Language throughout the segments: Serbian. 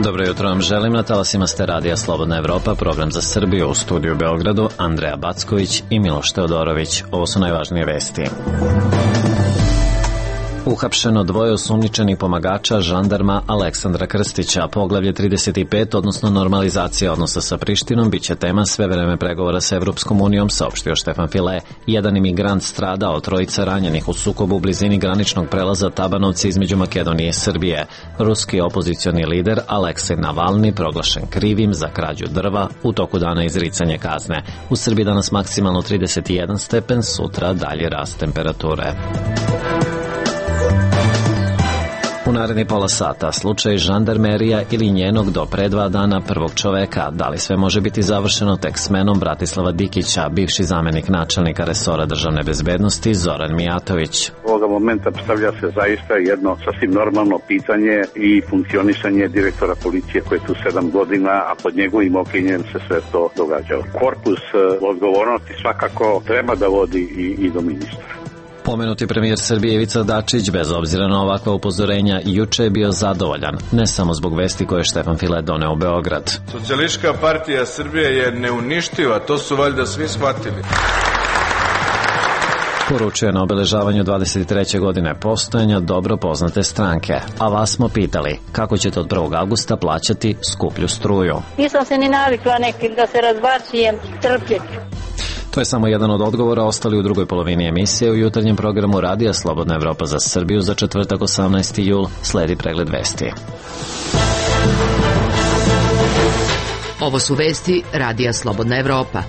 Dobro jutro vam želim, na talasima ste radija Slobodna Evropa, program za Srbiju, u studiju u Beogradu, Andreja Backović i Miloš Teodorović. Ovo su najvažnije vesti. Uhapšeno dvoje osumnjičenih pomagača žandarma Aleksandra Krstića. Poglavlje 35, odnosno normalizacija odnosa sa Prištinom, biće tema sve vreme pregovora sa Evropskom unijom, saopštio Štefan File. Jedan imigrant stradao, trojica ranjenih u sukobu u blizini graničnog prelaza Tabanovci između Makedonije i Srbije. Ruski opozicioni lider Aleksej Navalni proglašen krivim za krađu drva, u toku dana izricanje kazne. U Srbiji danas maksimalno 31 stepen, sutra dalje rast temperature. U naredni pola sata slučaj žandarmerija ili njenog do pre 2 dana prvog čoveka. Da li sve može biti završeno tek smenom Bratislava Dikića, bivši zamenik načelnika resora državne bezbednosti Zoran Mijatović. Ovoga momenta postavlja se zaista jedno sasvim normalno pitanje i funkcionisanje direktora policije koji je tu 7 godina, a pod njegovim okriljem se sve to događalo. Korpus odgovornosti svakako treba da vodi i do ministra. Pomenuti premijer Srbije Ivica Dačić, bez obzira na ovakva upozorenja, juče je bio zadovoljan, ne samo zbog vesti koje je Štefan File doneo u Beograd. Socijalistička partija Srbije je neuništiva, to su valjda svi shvatili. Poručuje na obeležavanju 23. godine postojanja dobro poznate stranke. A vas smo pitali, kako ćete od 1. augusta plaćati skuplju struju? Nisam se ni navikla nekim da se razbacujem, trpjeti. To je samo jedan od odgovora, ostali u drugoj polovini emisije u jutarnjem programu Radija Slobodna Evropa za Srbiju za četvrtak 18. jul. Sledi pregled vesti. Ovo su vesti Radija Slobodna Evropa.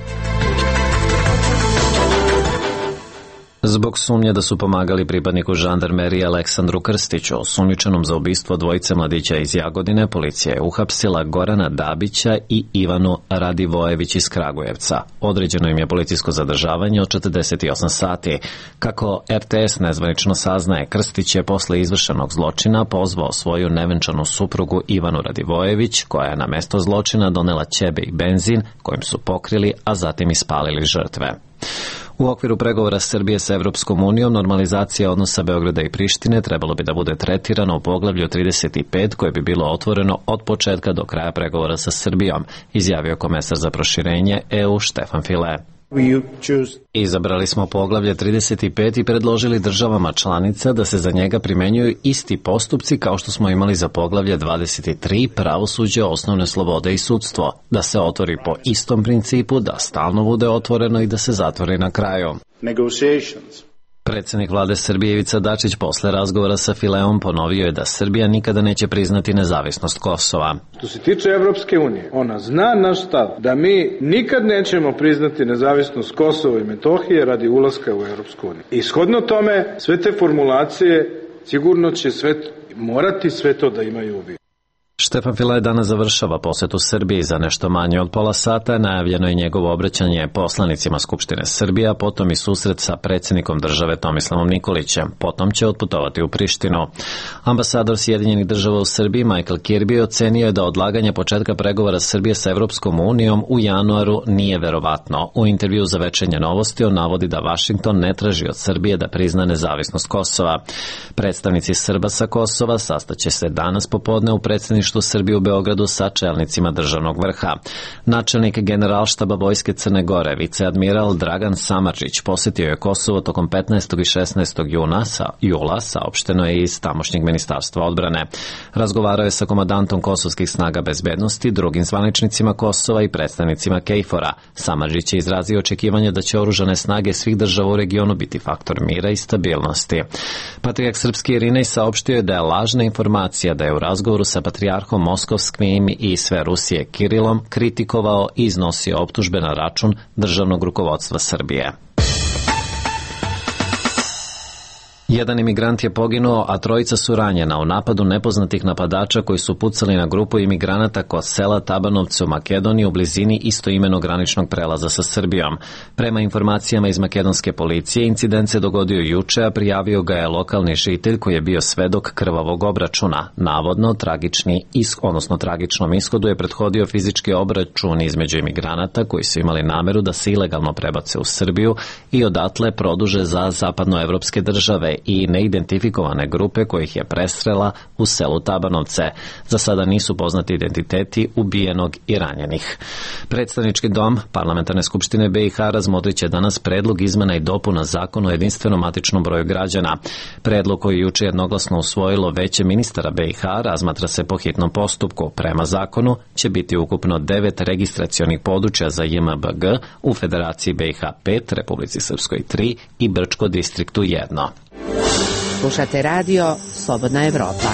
Zbog sumnje da su pomagali pripadniku žandarmerije Aleksandru Krstiću, osumnjičenom za ubistvo dvojice mladića iz Jagodine, policija je uhapsila Gorana Dabića i Ivanu Radivojević iz Kragujevca. Određeno im je policijsko zadržavanje od 48 sati. Kako RTS nezvanično saznaje, Krstić je posle izvršenog zločina pozvao svoju nevenčanu suprugu Ivanu Radivojević, koja je na mesto zločina donela ćebe i benzin kojim su pokrili, a zatim ispalili žrtve. U okviru pregovora Srbije sa Evropskom unijom, normalizacija odnosa Beograda i Prištine trebalo bi da bude tretirano u poglavlju 35 koje bi bilo otvoreno od početka do kraja pregovora sa Srbijom, izjavio komesar za proširenje EU Štefan File. Izabrali smo poglavlje 35 i predložili državama članica da se za njega primenjuju isti postupci kao što smo imali za poglavlje 23 pravosuđe, osnovne slobode i sudstvo, da se otvori po istom principu, da stalno bude otvoreno i da se zatvori na kraju. Predsednik vlade Srbije Ivica Dačić posle razgovora sa Fileom ponovio je da Srbija nikada neće priznati nezavisnost Kosova. Što se tiče Evropske unije, ona zna naš stav da mi nikad nećemo priznati nezavisnost Kosova i Metohije radi ulaska u Evropsku uniju. I shodno tome, sve te formulacije sigurno će morati sve to da imaju u vidu. Štefan File danas završava posetu Srbiji. Za nešto manje od pola sata najavljeno je njegovo obraćanje poslanicima Skupštine Srbije, a potom i susret sa predsjednikom države Tomislavom Nikolićem. Potom će otputovati u Prištinu. Ambasador Sjedinjenih država u Srbiji Michael Kirby ocenio je da odlaganje početka pregovora Srbije sa Evropskom unijom u januaru nije verovatno. U intervju za Večernje novosti on navodi da Vašington ne traži od Srbije da prizna nezavisnost Kosova. Predstavnici Srba sa Kosova sastaće se danas popodne u predsjedništvu Srbije u Beogradu sa čelnicima državnog vrha. Načelnik Generalštaba Vojske Crne Gore, viceadmiral Dragan Samardžić, posjetio je Kosovo tokom 15. i 16. jula, saopšteno je iz tamošnjeg ministarstva odbrane. Razgovarao je sa komandantom kosovskih snaga bezbednosti, drugim zvaničnicima Kosova i predstavnicima KFOR-a. Samardžić je izrazio očekivanje da će oružane snage svih država u regionu biti faktor mira i stabilnosti. Patrijarh srpski Irinej saopštio je da je lažna informacija da je u razgovoru sa patrijarhom moskovskim i sve Rusije Kirilom kritikovao i iznosio optužbe na račun državnog rukovodstva Srbije. Jedan imigrant je poginuo, a trojica su ranjena u napadu nepoznatih napadača koji su pucali na grupu imigranata kod sela Tabanovce u Makedoniji u blizini istoimenog graničnog prelaza sa Srbijom. Prema informacijama iz makedonske policije, incident se dogodio juče, a prijavio ga je lokalni žitelj koji je bio svedok krvavog obračuna. Navodno, tragičnom ishodu je prethodio fizički obračun između imigranata koji su imali nameru da se ilegalno prebace u Srbiju i odatle produže za zapadnoevropske države i neidentifikovane grupe kojih je presrela u selu Tabanovce. Za sada nisu poznati identiteti ubijenog i ranjenih. Predstavnički dom Parlamentarne skupštine BiH razmotriće danas predlog izmena i dopuna zakona o jedinstvenom matičnom broju građana. Predlog koji je juče jednoglasno usvojilo Veće ministara BiH razmatra se po hitnom postupku. Prema zakonu će biti ukupno 9 registracionih područja za JMBG u Federaciji BiH 5, Republici Srpskoj 3 i Brčko distriktu 1. Slušate radio Slobodna Evropa.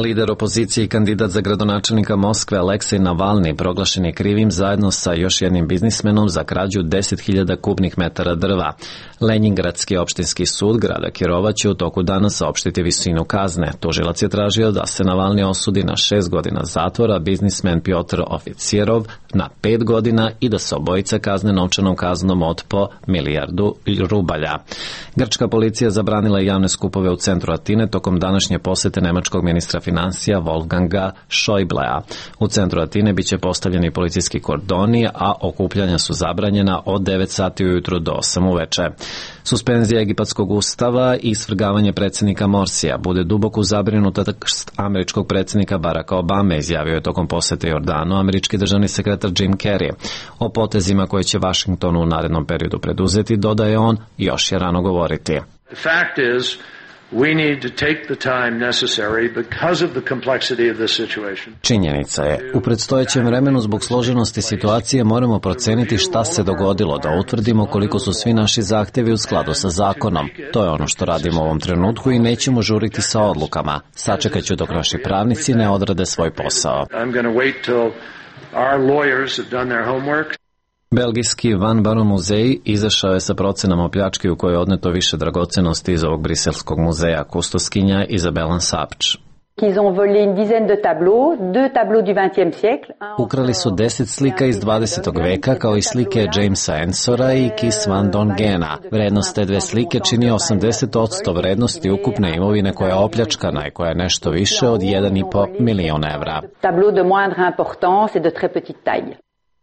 Lider opozicije i kandidat za gradonačelnika Moskve Aleksej Navalni proglašen je krivim zajedno sa još jednim biznismenom za krađu 10.000 kubnih metara drva. Lenjingradski opštinski sud grada Kirova će u toku dana saopštiti visinu kazne. Tužilac je tražio da se Navalni osudi na 6 godina zatvora, biznismen Piotr Oficirov na 5 godina i da se obojica kazne novčanom kaznom od po 1 milijardu rubalja. Grčka policija zabranila javne skupove u centru Atine tokom današnje posete nemačkog ministra financija Wolfganga Schäublea. U centru Atine biće postavljeni policijski kordoni, a okupljanja su zabranjena od 9 sati ujutru do 8 uveče. Suspenzija egipatskog ustava i svrgavanje predsjednika Morsija bude duboko zabrinutost američkog predsjednika Baracka Obame, izjavio je tokom posete Jordanu američki državni sekretar Jim Carrey. O potezima koje će Washington u narednom periodu preduzeti, dodaje on, još je rano govoriti. The fact is, we need to take the time necessary because of the complexity of this situation. Činjenica je, u predstojećem vremenu zbog složenosti situacije moramo proceniti šta se dogodilo, da utvrdimo koliko su svi naši zahtjevi u skladu sa zakonom. To je ono što radimo u ovom trenutku i nećemo žuriti sa odlukama. Sačekat ću dok naši pravnici ne odrade svoj posao. I'm going to wait till our lawyers have done their homework. Belgijski Van Baron muzej izašao je sa procenama o pljački u kojoj je odneto više dragocenosti iz ovog briselskog muzeja, kustoskinja Izabela Sapč. Ukrali su 10 slika iz 20. veka kao i slike Jamesa Ensora i Kis van Dongena. Vrednost te dve slike čini 80% vrednosti ukupne imovine koja je opljačkana i koja je nešto više od 1,5 miliona evra.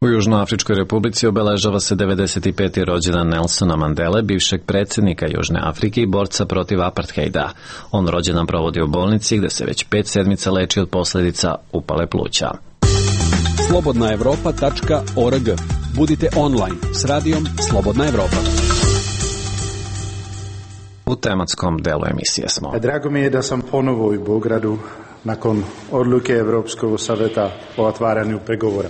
U Južnoafričkoj republici obeležava se 95. rođendan Nelsona Mandele, bivšeg predsjednika Južne Afrike i borca protiv apartheida. On rođendan provodi u bolnici gde se već 5 sedmica leči od posljedica upale pluća. slobodnaevropa.org. Budite online s radijom Slobodna Evropa. U tematskom delu emisije smo. Drago mi je da sam ponovo u Beogradu nakon odluke Evropskog saveta o otvaranju pregovora.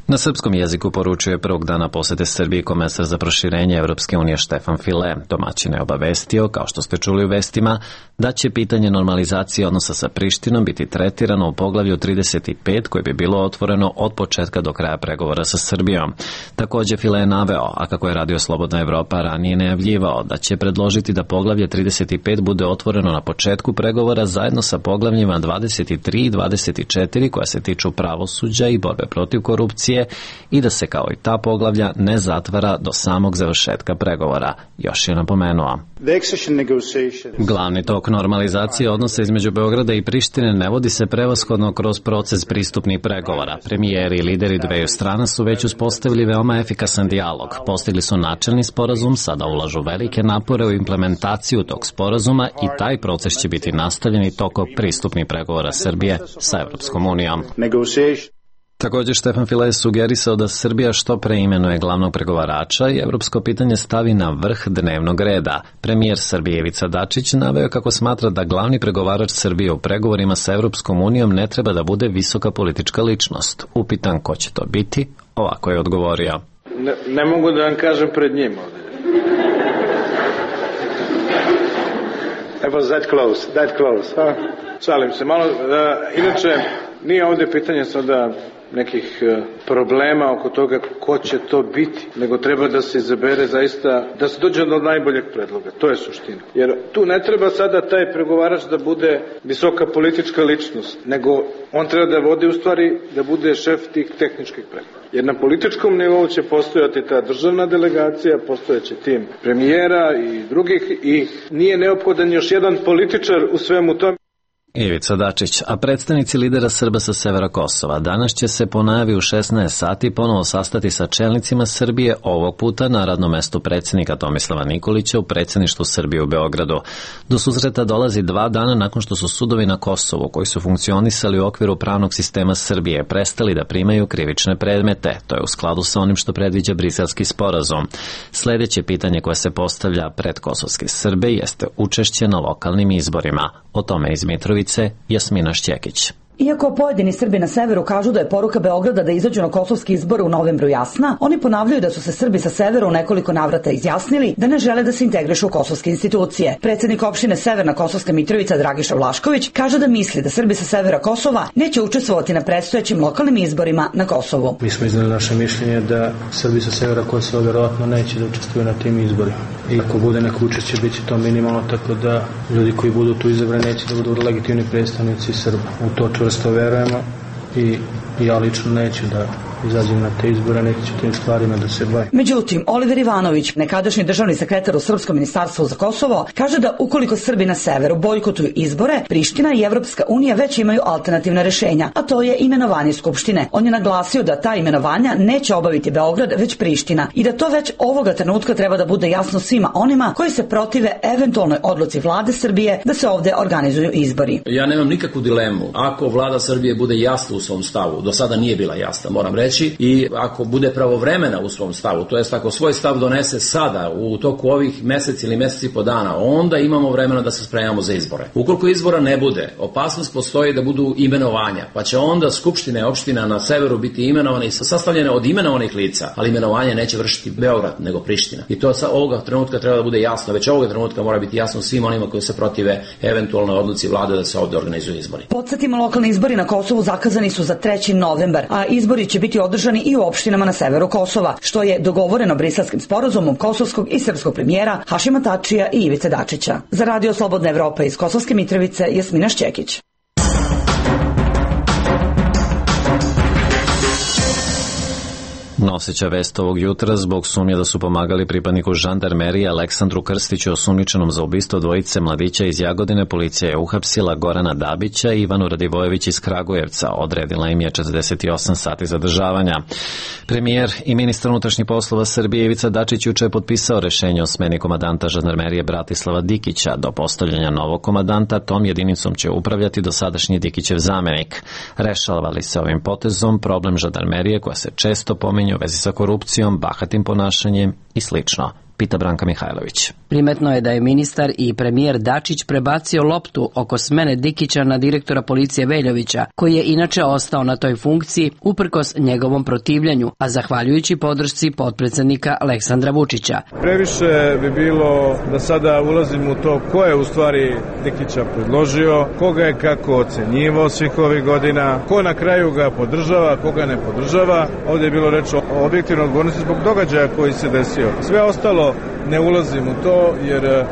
Na srpskom jeziku poručuje prvog dana posete Srbiji komesar za proširenje Evropske unije Štefan File. Domaćin je obavestio, kao što ste čuli u vestima, da će pitanje normalizacije odnosa sa Prištinom biti tretirano u poglavlju 35 koje bi bilo otvoreno od početka do kraja pregovora sa Srbijom. Također File je naveo, a kako je Radio Slobodna Evropa ranije najavljivao, da će predložiti da poglavlje 35 bude otvoreno na početku pregovora zajedno sa poglavljima 23 i 24 koja se tiču pravosuđa i borbe protiv korupcije i da se kao i ta poglavlja ne zatvara do samog završetka pregovora, još je napomenuo. Glavni tok normalizacije odnosa između Beograda i Prištine ne vodi se prevashodno kroz proces pristupnih pregovora. Premijeri i lideri dveju strana su već uspostavili veoma efikasan dijalog. Postigli su načelni sporazum, sada ulažu velike napore u implementaciju tog sporazuma i taj proces će biti nastavljen i tokom pristupnih pregovora Srbije sa Evropskom unijom. Također Štefan File je sugerisao da Srbija što pre imenuje glavnog pregovarača i evropsko pitanje stavi na vrh dnevnog reda. Premijer Srbije Ivica Dačić naveo kako smatra da glavni pregovarač Srbije u pregovorima sa Evropskom unijom ne treba da bude visoka politička ličnost. Upitan ko će to biti, ovako je odgovorio. Ne mogu da vam kažem pred njim ovdje. It was that close, huh? Šalim se malo. Inače, nije ovdje pitanje sada nekih problema oko toga ko će to biti, nego treba da se izabere zaista, da se dođe do najboljeg predloga. To je suština. Jer tu ne treba sada taj pregovarač da bude visoka politička ličnost, nego on treba da vodi u stvari, da bude šef tih tehničkih pregovora. Jer na političkom nivou će postojati ta državna delegacija, postojeći tim premijera i drugih i nije neophodan još jedan političar u svemu tome. Ivica Dačić, a predstavnici lidera Srba sa severa Kosova danas će se po najavi u 16 sati ponovo sastati sa čelnicima Srbije, ovog puta na radnom mestu predsjednika Tomislava Nikolića u predsjedništvu Srbije u Beogradu. Do susreta dolazi 2 dana nakon što su sudovi na Kosovu, koji su funkcionisali u okviru pravnog sistema Srbije, prestali da primaju krivične predmete. To je u skladu sa onim što predviđa Briselski sporazum. Sljedeće pitanje koje se postavlja pred kosovske Srbe jeste učešće na lokalnim izborima. O tome iz Mitrovice Jasmina Šćekić. Iako pojedini Srbi na severu kažu da je poruka Beograda da izađu na kosovski izbore u novembru jasna, oni ponavljaju da su se Srbi sa severa u nekoliko navrata izjasnili da ne žele da se integrišu u kosovske institucije. Predsjednik opštine Severna Kosovska Mitrovica Dragiša Vlašković kaže da misli da Srbi sa severa Kosova neće učestvovati na predstojećim lokalnim izborima na Kosovu. Mi smo iznali naše mišljenje da Srbi sa severa Kosova vjerojatno neće da učestvuju na tim izborima. I ako bude neko učešće, bit će to minimalno, tako da ljudi koji budu tu izabrani neće da budu legitimni predstavnici Srba. U to čvrsto verujemo i ja lično neću da izađem na te izbore, neću tim stvarima da se bavim. Međutim, Oliver Ivanović, nekadašnji državni sekretar u Srpskom ministarstvu za Kosovo, kaže da ukoliko Srbi na severu bojkotuju izbore, Priština i Evropska unija već imaju alternativna rešenja, a to je imenovanje Skupštine. On je naglasio da ta imenovanja neće obaviti Beograd, već Priština i da to već ovoga trenutka treba da bude jasno svima onima koji se protive eventualnoj odluci vlade Srbije da se ovde organizuju izbori. Ja nemam nikakvu dilemu. Ako vlada Srbije bude jasna u svom stavu, do sada nije bila jasna, moram reći, i ako bude pravovremena u svom stavu, to jest ako svoj stav donese sada u toku ovih meseci ili meseci po dana, onda imamo vremena da se spremamo za izbore. Ukoliko izbora ne bude, opasnost postoji da budu imenovanja, pa će onda skupštine opština na severu biti imenovane i sastavljene od imenovanih lica, ali imenovanje neće vršiti Beograd, nego Priština. I to sa ovoga trenutka treba da bude jasno, već ovoga trenutka mora biti jasno svim onima koji se protive eventualnoj odluci vlade da se ovde organizuju izbori. Podsjetimo, lokalni izbori na Kosovu zakazani su za 3. novembar, a izbori će biti održani i u opštinama na severu Kosova, što je dogovoreno Briselskim sporazumom kosovskog i srpskog premijera Hašima Tačija i Ivice Dačića. Za Radio Slobodna Evropa iz Kosovske Mitrovice, Jasmina Šćekić. Noseća vest ovog jutra, zbog sumnje da su pomagali pripadniku žandarmerije Aleksandru Krstiću, osumnjičenom za ubistvo dvojice mladića iz Jagodine, policija je uhapsila Gorana Dabića i Ivanu Radivojević iz Kragujevca. Odredila im je 48 sati zadržavanja. Premijer i ministar unutrašnjih poslova Srbije Ivica Dačić juče je potpisao rešenje o smeni komandanta žandarmerije Bratislava Dikića. Do postavljanja novog komandanta tom jedinicom će upravljati dosadašnji Dikićev zamenik. Rešava li se ovim potezom problem žandarmerije koja se često pominje u vezi sa korupcijom, bahatim ponašanjem i slično? Pita Branka Mihajlović. Primetno je da je ministar i premijer Dačić prebacio loptu oko smene Dikića na direktora policije Veljovića, koji je inače ostao na toj funkciji uprkos njegovom protivljenju, a zahvaljujući podršci potpredsednika Aleksandra Vučića. Previše bi bilo da sada ulazim u to ko je u stvari Dikića predložio, koga je kako ocenjivao svih ovih godina, ko na kraju ga podržava, koga ne podržava. Ovdje je bilo reč o objektivnoj odgovornosti zbog događaja koji se desio. Sve ostalo ne ulazim u to jer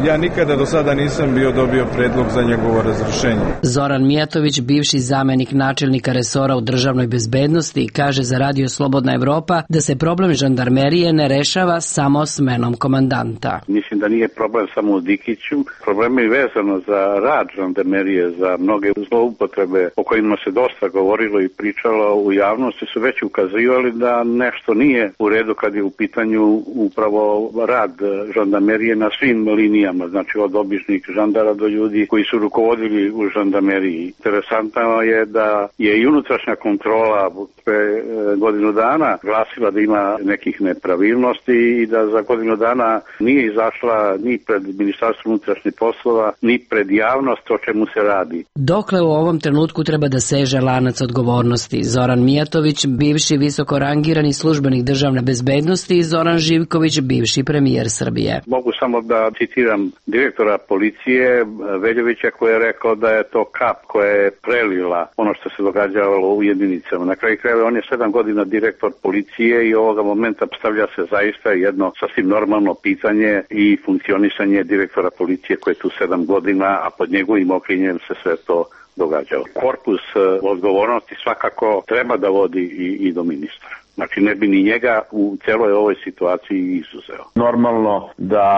ja nikada do sada nisam dobio predlog za njegovo razrešenje. Zoran Mijatović, bivši zamenik načelnika resora u državnoj bezbednosti, kaže za Radio Slobodna Evropa da se problem žandarmerije ne rešava samo smenom komandanta. Mislim da nije problem samo u Dikiću. Problem je vezano za rad žandarmerije, za mnoge zloupotrebe o kojima se dosta govorilo i pričalo u javnosti, su već ukazivali da nešto nije u redu kad je u pitanju upravo rad žandarmerije na svim linijama. Znači od običnih žandara do ljudi koji su rukovodili u žandarmeriji. Interesantno je da je i unutrašnja kontrola pre godinu dana glasila da ima nekih nepravilnosti i da za godinu dana nije izašla ni pred Ministarstvo unutrašnjih poslova, ni pred javnost o čemu se radi. Dokle u ovom trenutku treba da seže lanac odgovornosti? Zoran Mijatović, bivši visoko rangirani službenik državne bezbednosti, i Zoran Živković, bivši premijer Srbije. Mogu samo da citiram citiram direktora policije Veljovića koji je rekao da je to kap koja je prelila ono što se događalo u jedinicama. Na kraju krajeva on je 7 godina direktor policije i ovoga momenta postavlja se zaista jedno sasvim normalno pitanje i funkcionisanje direktora policije koji je tu 7 godina, a pod njegovim okriljem se sve to događalo. Korpus odgovornosti svakako treba da vodi i do ministra. Znači ne bi ni njega u celoj ovoj situaciji izuzeo. Normalno da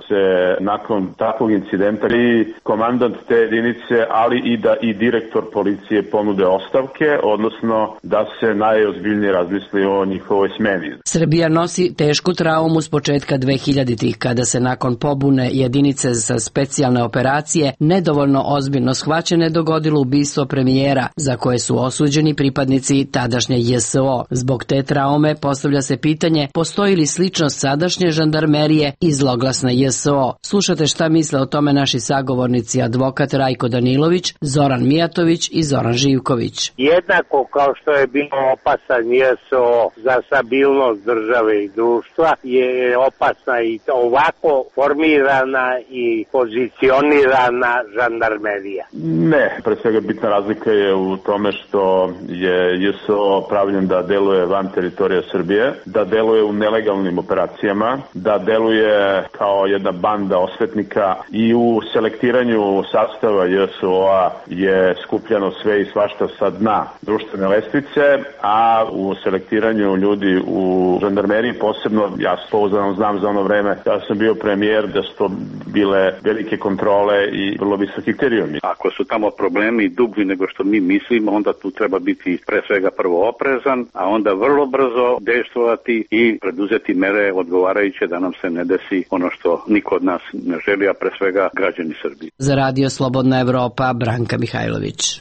se nakon takvog incidenta i komandant te jedinice, ali i da i direktor policije ponude ostavke, odnosno da se najozbiljnije razmisli o njihovoj smeni. Srbija nosi tešku traumu s početka 2000-ih, kada se nakon pobune jedinice za specijalne operacije nedovoljno ozbiljno shvaćene dogodilo ubistvo premijera, za koje su osuđeni pripadnici tadašnje JSO. Zbog te traume postavlja se pitanje postoji li sličnost sadašnje žandarmerije i zloglasna JSO. Slušate šta misle o tome naši sagovornici advokat Rajko Danilović, Zoran Mijatović i Zoran Živković. Jednako kao što je bilo opasan JSO za stabilnost države i društva, je opasna i ovako formirana i pozicionirana žandarmerija. Ne, pre svega bitna razlika je u tome što je JSO pravljen da deluje van teritorija Srbije, da deluje u nelegalnim operacijama, da deluje kao jedna banda osvetnika i u selektiranju sastava JSO-a je skupljano sve i svašta sa dna društvene lestvice, a u selektiranju ljudi u žandarmeriji posebno, ja pouzdano znam za ono vreme, ja sam bio premijer, da su to bile velike kontrole i vrlo visoki kriterijumi. Ako su tamo problemi dublji nego što mi mislimo, onda tu treba biti pre svega prvo oprezan, a onda vrlo brzo dejstvovati i preduzeti mere odgovarajuće da nam se ne desi ono što niko od nas ne želi, a pre svega građani Srbije. Za Radio Slobodna Evropa, Branka Mihajlović.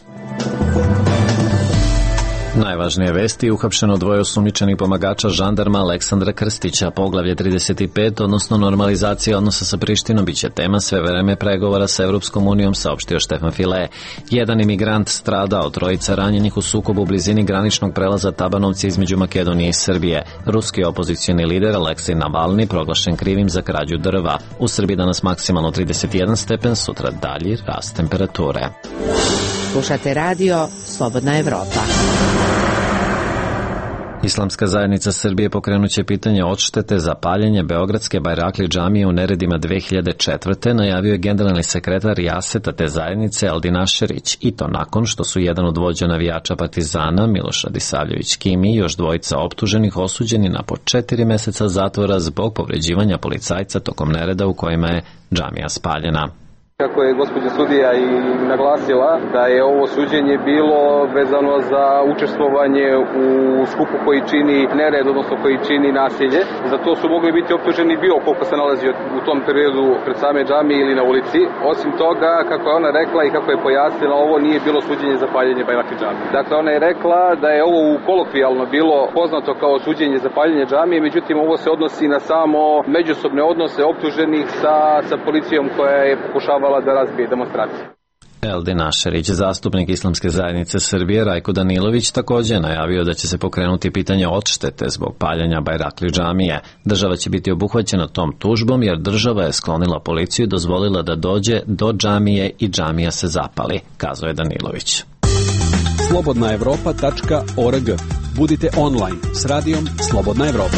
Najvažnije vesti: uhapšeno dvoje osumnjičenih pomagača žandarma Aleksandra Krstića. Poglavlje 35, odnosno normalizacija odnosa sa Prištinom, biće tema sve vreme pregovora sa Evropskom unijom, saopštio Štefan File. Jedan imigrant stradao, trojica ranjenih u sukobu u blizini graničnog prelaza Tabanovci između Makedonije i Srbije. Ruski opozicioni lider Aleksej Navalni proglašen krivim za krađu drva. U Srbiji danas maksimalno 31 stepen, sutra dalji rast temperature. Slušate radio Slobodna Evropa. Islamska zajednica Srbije pokrenuće pitanje odštete za paljenje beogradske Bajrakli džamije u neredima 2004. najavio je generalni sekretar Jaseta te zajednice Eldin Ašerić, i to nakon što su jedan od vođa navijača Partizana Miloš Radisavljević Kimi i još dvojica optuženih osuđeni na po 4 meseca zatvora zbog povređivanja policajca tokom nereda u kojima je džamija spaljena. Kako je gospođa sudija i naglasila da je ovo suđenje bilo vezano za učestvovanje u skupu koji čini nered, odnosno koji čini nasilje. Za to su mogli biti optuženi bilo koliko se nalazi u tom periodu pred same džamije ili na ulici. Osim toga, kako je ona rekla i kako je pojasnila, ovo nije bilo suđenje za paljenje Bajrakli džamije. Dakle, ona je rekla da je ovo kolokvijalno bilo poznato kao suđenje za paljenje džamije, međutim ovo se odnosi na samo međusobne odnose optuženih sa policijom koja je pokušavala da razbije demonstracije. Eldin Ašerić, zastupnik Islamske zajednice Srbije Rajko Danilović, također najavio da će se pokrenuti pitanje odštete zbog paljenja Bajrakli džamije. Država će biti obuhvaćena tom tužbom jer država je sklonila policiju i dozvolila da dođe do džamije i džamija se zapali, kazao je Danilović. slobodnaevropa.org. Budite online s radijom Slobodna Evropa.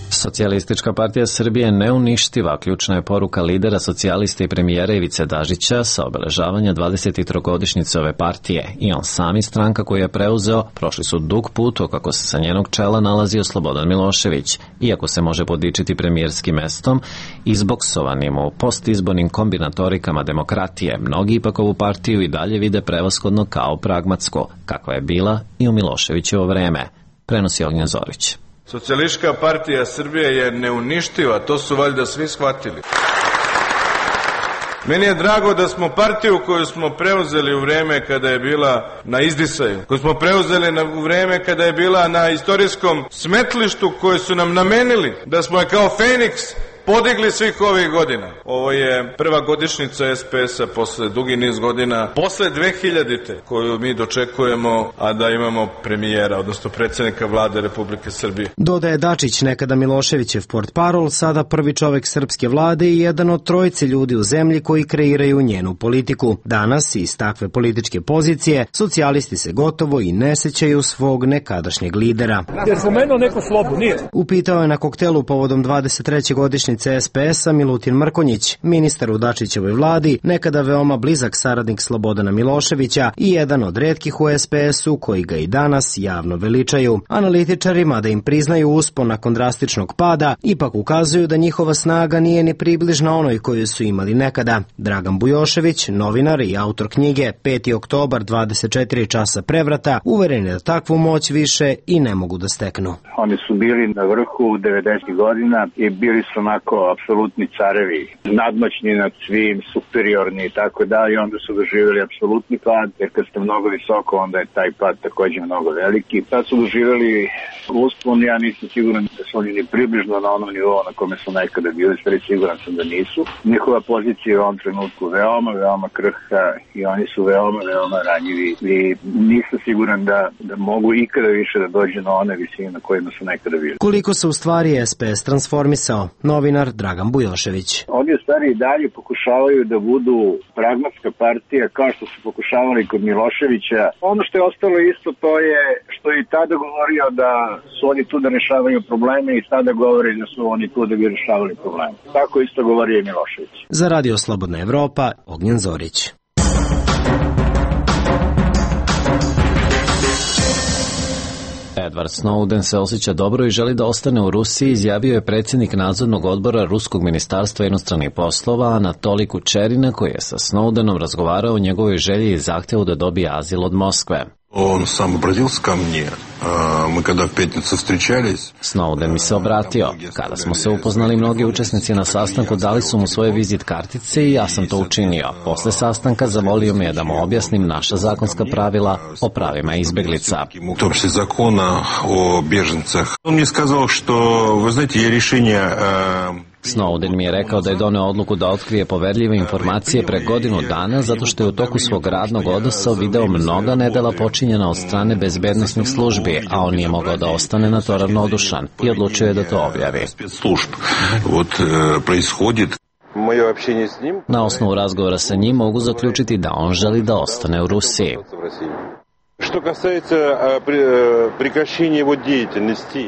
Socijalistička partija Srbije neuništiva, ključna je poruka lidera socijalista i premijera Ivice Dažića sa obeležavanja 23-godišnjice ove partije. I on sam i stranka koju je preuzeo prošli su dug put kako se sa njenog čela nalazio Slobodan Milošević. Iako se može podičiti premijerskim mestom, izboksovanim u postizbornim kombinatorikama demokratije, mnogi ipak ovu partiju i dalje vide prevashodno kao pragmatsku, kakva je bila i u Miloševićevo vreme, prenosi Ognjen Zorić. Socijalistička partija Srbije je neuništiva, to su valjda svi shvatili. Meni je drago da smo partiju koju smo preuzeli u vreme kada je bila na izdisaju, koju smo preuzeli u vreme kada je bila na istorijskom smetlištu koje su nam namenili, da smo je kao Feniks podigli svih ovih godina. Ovo je prva godišnjica SPS-a posle dugi niz godina, posle 2000-te koju mi dočekujemo, a da imamo premijera, odnosno predsjednika vlade Republike Srbije. Dodaje Dačić, nekada Miloševićev portparol, sada prvi čovek srpske vlade i jedan od trojice ljudi u zemlji koji kreiraju njenu politiku. Danas iz takve političke pozicije socijalisti se gotovo i ne sećaju svog nekadašnjeg lidera. Jer spomenuo neko slobu, nije. Upitao je na koktelu povodom 23. godišnjice SPS-a Milutin Mrkonjić, ministar u Dačićevoj vladi, nekada veoma blizak saradnik Slobodana Miloševića i jedan od retkih u SPS-u koji ga i danas javno veličaju. Analitičarima da im priznaju uspon nakon drastičnog pada, ipak ukazuju da njihova snaga nije ni približna onoj koju su imali nekada. Dragan Bujošević, novinar i autor knjige 5. oktobar 24 časa prevrata, uveren je da takvu moć više i ne mogu da steknu. Oni su bili na vrhu 90. godina i bili su onako apsolutni carevi, nadmoćni nad svim, superiorni i tako da, i onda su doživjeli apsolutni pad, jer kad ste mnogo visoko, onda je taj pad također mnogo veliki. Tad su doživjeli uspon, ja nisam siguran da su oni ni približno na onom nivou na kome su nekada bili, stvari siguran sam da nisu. Njihova pozicija je u ovom trenutku veoma krhka i oni su veoma ranjivi i nisam siguran da mogu ikada više da dođe na one visine na kojima su nekada bili. Koliko se u stvari SPS transformisao? Novinar Dragan Bujošević. Oni u stvari i dalje pokušavaju da budu pragmatska partija kao što su pokušavali kod Miloševića. Ono što je ostalo isto to je što je i tada govorio da su oni tu da rešavaju probleme i sada govori da su oni tu da bi rešavali probleme. Tako isto govori i Milošević. Za Radio Slobodna Evropa, Ognjen Zorić. Edward Snowden se osjeća dobro i želi da ostane u Rusiji, izjavio je predsjednik nadzornog odbora Ruskog ministarstva inostranih poslova Anatolij Kučerina, koji je sa Snowdenom razgovarao o njegovoj želji i zahtjevu da dobije azil od Moskve. Он сам обратился ко мне. Мы когда в пятницу встречались. Snowden mi se obratio. Kada smo se upoznali, mnogi učesnici na sastanku dali su mu svoje vizit kartice i ja sam to učinio. Posle sastanka zamolio me da mu objasnim naša zakonska pravila o pravima izbeglica. В том числе закона о беженцах. Он мне сказал, что, вы знаете, я решение Snowden mi je rekao da je doneo odluku da otkrije poverljive informacije pre godinu dana zato što je u toku svog radnog odnosa video mnoga nedela počinjena od strane bezbednosnih službi, a on nije mogao da ostane na to ravnodušan i odlučio je da to objavi. Na osnovu razgovora sa njim mogu zaključiti da on želi da ostane u Rusiji.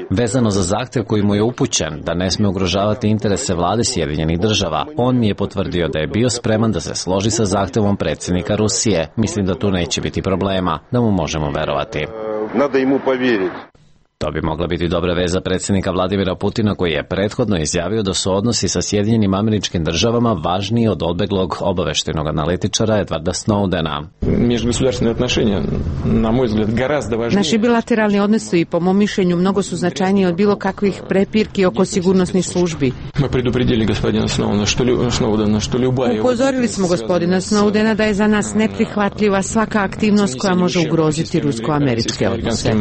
Vezano za zahtev koji mu je upućen da ne sme ugrožavati interese vlade Sjedinjenih država, on mi je potvrdio da je bio spreman da se složi sa zahtevom predsjednika Rusije. Mislim da tu neće biti problema, da mu možemo verovati. To bi mogla biti dobra veza predsjednika Vladimira Putina, koji je prethodno izjavio da su odnosi sa Sjedinjenim Američkim Državama važniji od odbeglog obaveštajnog analitičara Edwarda Snowdena. Naši bilateralni odnosi, po mom mišljenju, mnogo su značajniji od bilo kakvih prepirki oko sigurnosnih službi. Upozorili smo gospodina Snowdena da je za nas neprihvatljiva svaka aktivnost koja može ugroziti rusko-američke odnose.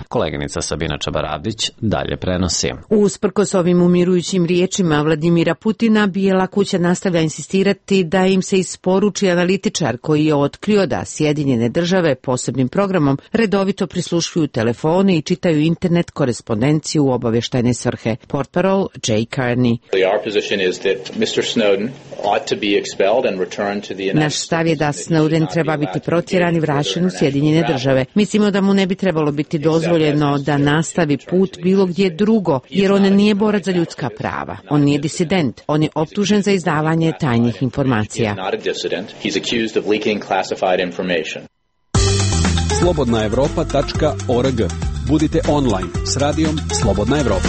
Koleginica Sabina Čabaravdić dalje prenosi. Usprkos ovim umirujućim riječima Vladimira Putina, Bijela kuća nastavlja insistirati da im se isporuči analitičar koji je otkrio da Sjedinjene države posebnim programom redovito prisluškuju telefone i čitaju internet korespondenciju u obavještajne svrhe. Portparol Jay Carney. Naš stav je da Snowden treba biti protjeran i vraćen u Sjedinjene države. Mislimo da mu ne bi trebalo biti dozvoljeno da nastavi put bilo gdje drugo, jer on nije borac za ljudska prava. On nije disident. On je optužen za izdavanje tajnih informacija. Slobodnaevropa.org. Budite online s radijom Slobodna Evropa.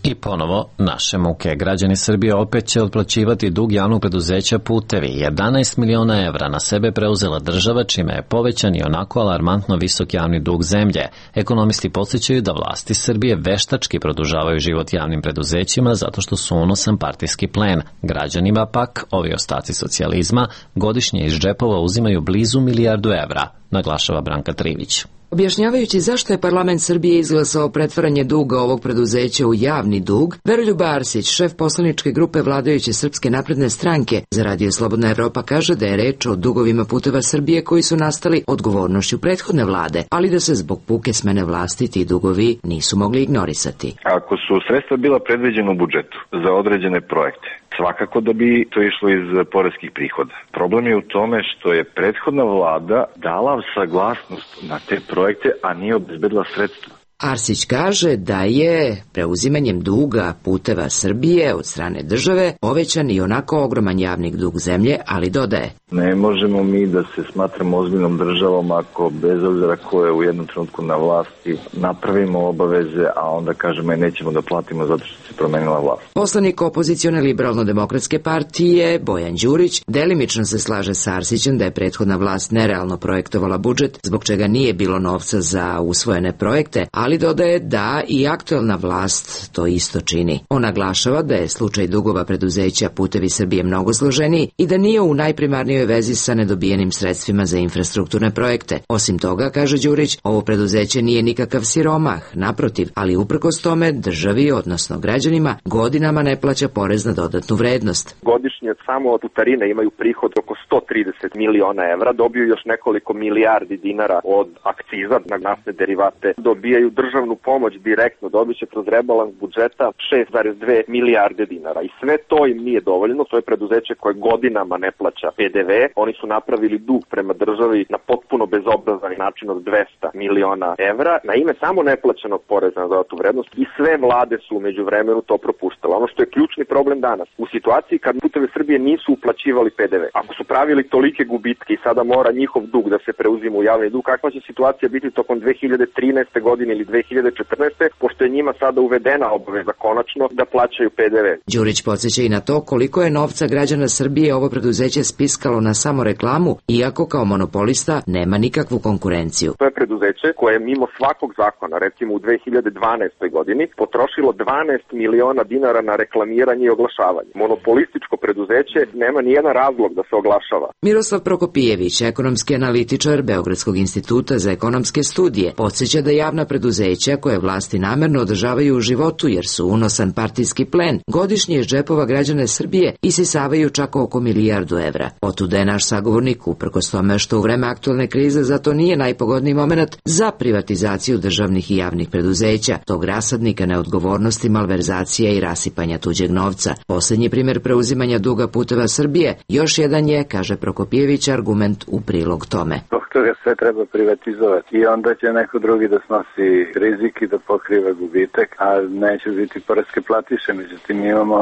I ponovo naše muke. Građani Srbije opet će otplaćivati dug javnog preduzeća Putevi. 11 miliona evra na sebe preuzela država, čime je povećan i onako alarmantno visok javni dug zemlje. Ekonomisti podsjećaju da vlasti Srbije veštački produžavaju život javnim preduzećima zato što su unosan partijski plen. Građanima pak, ovi ostaci socijalizma, godišnje iz džepova uzimaju blizu milijardu evra. naglašava Branka Trivić. Objašnjavajući zašto je parlament Srbije izglasao pretvaranje duga ovog preduzeća u javni dug, Veroljub Arsić, šef poslaničke grupe vladajuće Srpske napredne stranke za Radio Slobodna Evropa, kaže da je reč o dugovima Puteva Srbije koji su nastali odgovornošću prethodne vlade, ali da se zbog puke smene vlasti ti dugovi nisu mogli ignorisati. Ako su sredstva bila predviđena u budžetu za određene projekte, svakako da bi to išlo iz poreskih prihoda. Problem je u tome što je prethodna vlada dala saglasnost na te projekte, a nije obezbedila sredstva. Arsić kaže da je preuzimanjem duga Puteva Srbije od strane države povećan i onako ogroman javni dug zemlje, ali dodaje: Ne možemo mi da se smatramo ozbiljnom državom ako bez obzira ko je u jednom trenutku na vlasti napravimo obaveze, a onda kažemo nećemo da platimo zato što se promenila vlast. Poslanik opozicione liberalno-demokratske partije Bojan Đurić delimično se slaže sa Arsićem da je prethodna vlast nerealno projektovala budžet, zbog čega nije bilo novca za usvojene projekte, ali dodaje da i aktuelna vlast to isto čini. On naglašava da je slučaj dugova preduzeća Putevi Srbije mnogo složeniji i da nije u najprimarnijoj vezi sa nedobijenim sredstvima za infrastrukturne projekte. Osim toga, kaže Đurić, ovo preduzeće nije nikakav siromah, naprotiv, ali uprkos tome državi, odnosno građanima, godinama ne plaća porez na dodatnu vrednost. Godišnje samo od putarine imaju prihod oko 130 miliona evra, dobiju još nekoliko milijardi dinara od akciza na naftne derivate, dobijaju državnu pomoć direktno, dobit će kroz rebalans budžeta 6,2 milijarde dinara. I sve to im nije dovoljno, to je preduzeće koje godinama ne plaća PDV, oni su napravili dug prema državi na potpuno bezobrazan način od 200 miliona evra, na ime samo neplaćenog poreza na dodatnu vrednost i sve vlade su umeđu vremenu to propuštale. Ono što je ključni problem danas, u situaciji kad Putevi Srbije nisu uplaćivali PDV, ako su pravili tolike gubitke i sada mora njihov dug da se preuzima u javni dug, kakva će situacija biti tokom 2013. godine ili 2014. pošto je njima sada uvedena obaveza konačno da plaćaju PDV. Đurić podsjeća i na to koliko je novca građana Srbije ovo preduzeće spiskalo na samo reklamu, iako kao monopolista nema nikakvu konkurenciju. To je preduzeće koje je mimo svakog zakona, recimo u 2012. godini, potrošilo 12 miliona dinara na reklamiranje i oglašavanje. Monopolističko preduzeće nema nijedan razlog da se oglašava. Miroslav Prokopijević, ekonomski analitičar Beogradskog instituta za ekonomske studije, podsjeća da javna preduzeća koje vlasti namerno održavaju u životu jer su unosan partijski plen, godišnje iz džepova građane Srbije isisavaju čak oko milijardu evra. Otuda je naš sagovornik, uprkos tome što u vreme aktualne krize zato nije najpogodniji moment za privatizaciju državnih i javnih preduzeća, tog rasadnika neodgovornosti, malverzacija i rasipanja tuđeg novca. Posljednji primjer preuzimanja duga Puteva Srbije još jedan je, kaže Prokopijević, argument u prilog tome. Toga sve treba privatizovati i onda će neko drugi da snosi rizik i da pokriva gubitak, a neće biti poreske platiše. Međutim, imamo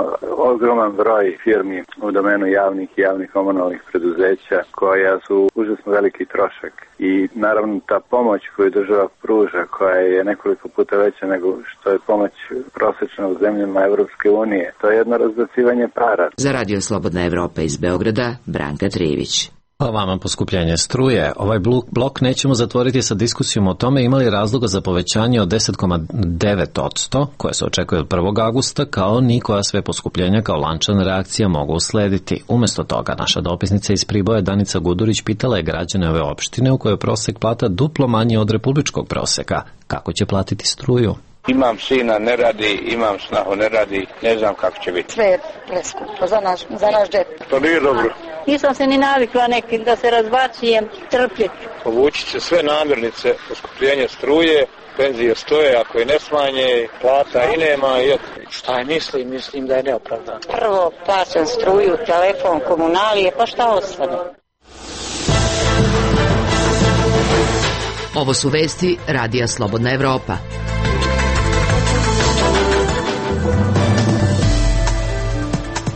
ogroman broj firmi u domenu javnih komunalnih preduzeća koja su užasno veliki trošak i naravno ta pomoć koju država pruža, koja je nekoliko puta veća nego što je pomoć prosječna u zemljama Evropske unije, to je jedno razbacivanje para. Za Radio Slobodna Evropa iz Beograda, Branka Trivić. A vama poskupljenje struje. Ovaj blok nećemo zatvoriti sa diskusijom o tome imali razloga za povećanje od 10,9% koje se očekuje od 1. augusta, kao ni koja sve poskupljenja kao lančana reakcija mogu uslediti. Umesto toga, naša dopisnica iz Priboja Danica Gudurić pitala je građane ove opštine u kojoj prosek plata duplo manji od republičkog proseka. Kako će platiti struju? Imam sina, ne radi, imam snahu, ne radi, ne znam kako će biti. Sve je preskupo za naš džep. To nije dobro. Nisam se ni navikla nekim da se razbacijem, trpjeti. Povući će sve namirnice, poskupljenje struje, penzije stoje, ako je ne smanje, plata i nema. Šta je mislim da je neopravdano. Prvo plaćam struju, telefon, komunalije, pa šta ostane? Ovo su vesti Radija Slobodna Evropa.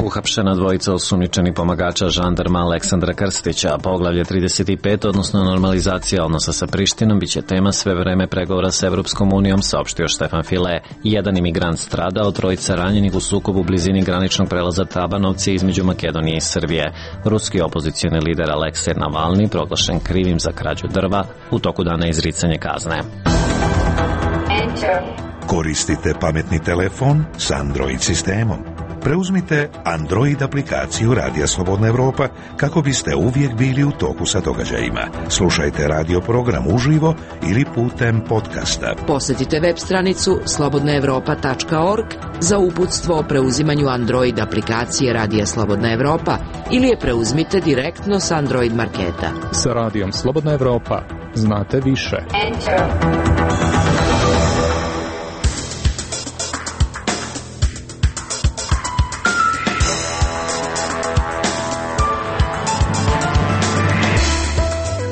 Uhapšena dvojica osumnjičenih pomagača žandarma Aleksandra Krstića. Poglavlje 35, odnosno normalizacija odnosa sa Prištinom, biće tema sve vreme pregovora sa Evropskom unijom, saopštio Štefan File. Jedan imigrant stradao, trojica ranjenih u sukobu u blizini graničnog prelaza Tabanovci između Makedonije i Srbije. Ruski opozicioni lider Aleksej Navalni proglašen krivim za krađu drva, u toku dana izricanje kazne. Koristite pametni telefon s Android sistemom. Preuzmite Android aplikaciju Radija Slobodna Evropa kako biste uvijek bili u toku sa događajima. Slušajte radio program uživo ili putem podcasta. Posjetite web stranicu slobodnaevropa.org za uputstvo o preuzimanju Android aplikacije Radija Slobodna Evropa ili je preuzmite direktno s Android marketa. Sa Radijom Slobodna Evropa znate više.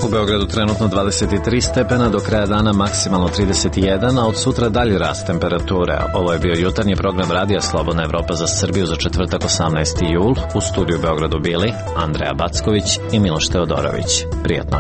U Beogradu trenutno 23 stepena, do kraja dana maksimalno 31, a od sutra dalji rast temperature. Ovo je bio jutarnji program Radija Slobodna Evropa za Srbiju za četvrtak 18. jul. U studiju u Beogradu bili Andreja Backović i Miloš Teodorović. Prijetno.